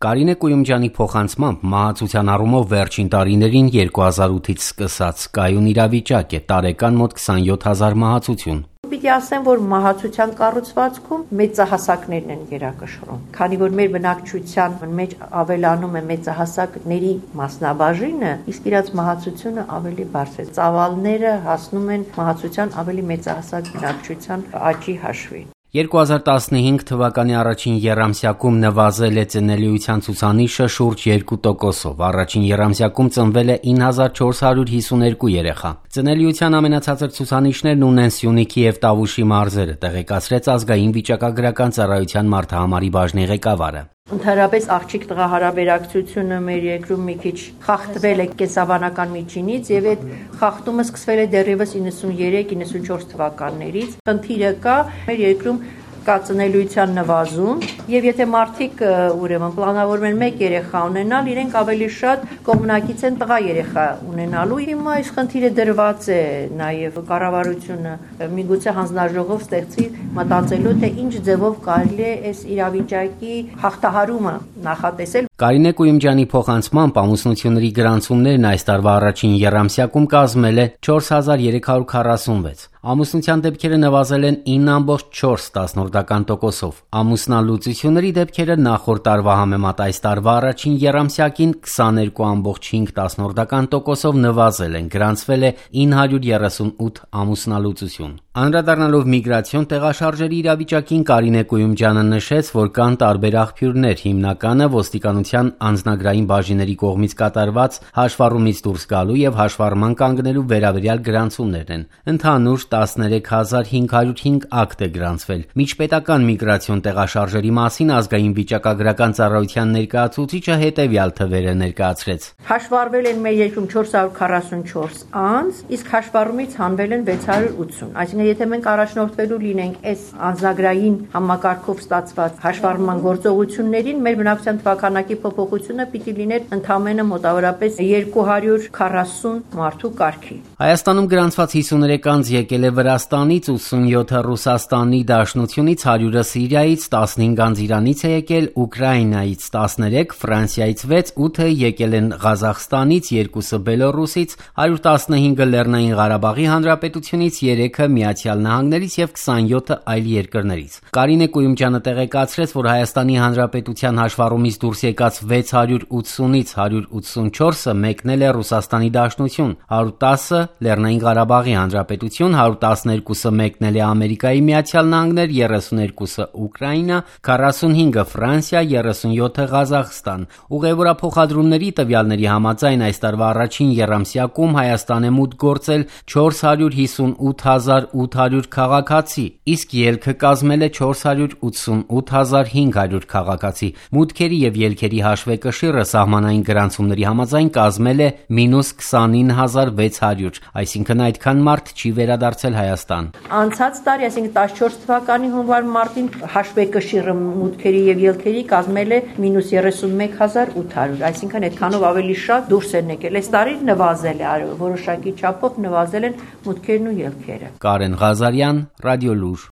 Կարինե Կույումջյանի փոխանցմամբ մահացության առումով վերջին տարիներին 2008-ից սկսած կայուն իրավիճակ է, տարեկան մոտ 27 հազար մահացություն։ Պիտի ասեմ, որ մահացության կառուցվածքում մեծահասակներն են գերակշռում, քանի որ մեր բնակչության մեջ ավելանում է մեծահասակների մասնաբաժինը, իսկ իրաց մահացությունը ավելի բարձր է։ Ծավալները հասնում են մահացության ավելի մեծահասակ բնակչության աճի հաշվին։ 2015 թվականի առաջին եռամսյակում նվազել է ծնելիության ցուցանիշը շուրջ 2%-ով, առաջին եռամսյակում ծնվել է 9452 երեխա։ Ծնելիության ամենացածր ցուցանիշներն ունեն Սյունիքի և Տավուշի մարզերը, տեղեկացրեց ազգային վիճակագրական ծառայության մարդահամարի բաժնի ղեկավարը։ Ընդհանրապես աղջիկ տղա հարաբերակցությունը մեր երկրում մի քիչ խախտվել է կենսաբանական միջինից եւ այդ խախտումը սկսվել է դեռևս 93-94 թվականներից։ Խնդիրը կա մեր երկրում կա ծնելիության նվազում եւ եթե մարդիկ ուրեմն պլանավորում են մեկ երեխա ունենալ, իրենք ավելի շատ կողմնակից են տղա երեխա ունենալու։ Հիմա այս խնդիրը դրված է նաեւ կառավարությունը միգուցե հանձնաժողով ստեղծի մտածելու թե ինչ ձևով կարելի է այս իրավիճակի հաղթահարումը նախատեսել։ Կարինե Կույումջյանի փոխանցմամբ ամուսնությունների գրանցումներն այս տարվա առաջին եռամսյակում կազմել է 4346։ Ամուսնության դեպքերը նվազել են 9.4%-ով։ Ամուսնալուծությունների դեպքերը նախորդ տարվա համեմատ այս տարվա առաջին եռամսյակին 22.5%-ով նվազել են, գրանցվել է 938 ամուսնալուծություն։ Անդրադառնալով միգրացիոն տեղաշարժերի իրավիճակին Կարինե Կույումջյանը նշեց, որ կան տարբեր աղբյուրներ, հիմնականը ոստիկանության անձնագրային բաժինների կողմից կատարված հաշվառումից դուրս գալու եւ հաշվառման կանգնելու վերաբերյալ գրանցումներն են։ Ընդհանուր 13505 ակտ է գրանցվել։ Միջպետական միգրացիոն տեղաշարժերի մասին ազգային վիճակագրական ծառայության ներկայացուցիչը հետևյալ թվերը ներկայացրեց։ Հաշվառվել են մեր երկրում 444 անձ, իսկ հաշվառումից հանվել են 680։ Այսինքն եթե մենք առաջնորդվելու լինենք այս անձնագրային համակարգով ստացված հաշվառման գործողություններին, մեր բնակչության թվականակի փոփոխությունը պիտի լիներ ընդամենը մոտավորապես 240 մարդու կարգի։ Հայաստանում գրանցված 53 անձ եկել է Վրաստանից, 87-ը Ռուսաստանի Դաշնությունից, 100-ը Սիրիայից, 15 անձ Իրանից է եկել, Ուկրաինայից 13, Ֆրանսիայից 6, 8-ը եկել են Ղազախստանից, 2-ը Բելոռուսից, 115-ը Լեռնային Ղարաբաղի Հանրապետությունից, 3-ը Միացյալ Նահանգներից եւ 27-ը այլ երկրներից։ Կարինե Կույումջյանը տեղեկացրեց, որ Հայաստանի Հանրապետության հաշվառումից դուրս եկած 680-ից 184-ը մեկնել է Ռուսաստանի Դաշնություն, 110-ը Լեռնային Ղարաբաղի Հանրապետություն, 112-ը մեկնել է Ամերիկայի Միացյալ Նահանգներ, 32-ը Ուկրաինա, 45-ը Ֆրանսիա, 37-ը Ղազախստան։ Ուղևորափոխադրումների տվյալների համաձայն այս տարվա առաջին եռամսյակում Հայաստան է մուտք գործել 458800 քաղաքացի, իսկ ելքը կազմել է 488500 քաղաքացի։ Մուտքերի եւ ելքերի հաշվեկշիռը սահմանային գրանցումների համաձայն կազմել է -29600, այսինքն այդքան մարդ չի վերադարձել Հայաստան։ Անցած տարի, այսինքն 14 թվականի հունվար մարտին հաշվեկշիռը մուտքերի եւ ելքերի կազմել է -31800, այսինքն այդքանով ավելի շատ դուրս են եկել։ Այս տարի նվազել է, որոշակի չափով նվազել են մուտքերն ու ելքերը։ Կարեն Ղազարյան, Ռադիոլուր։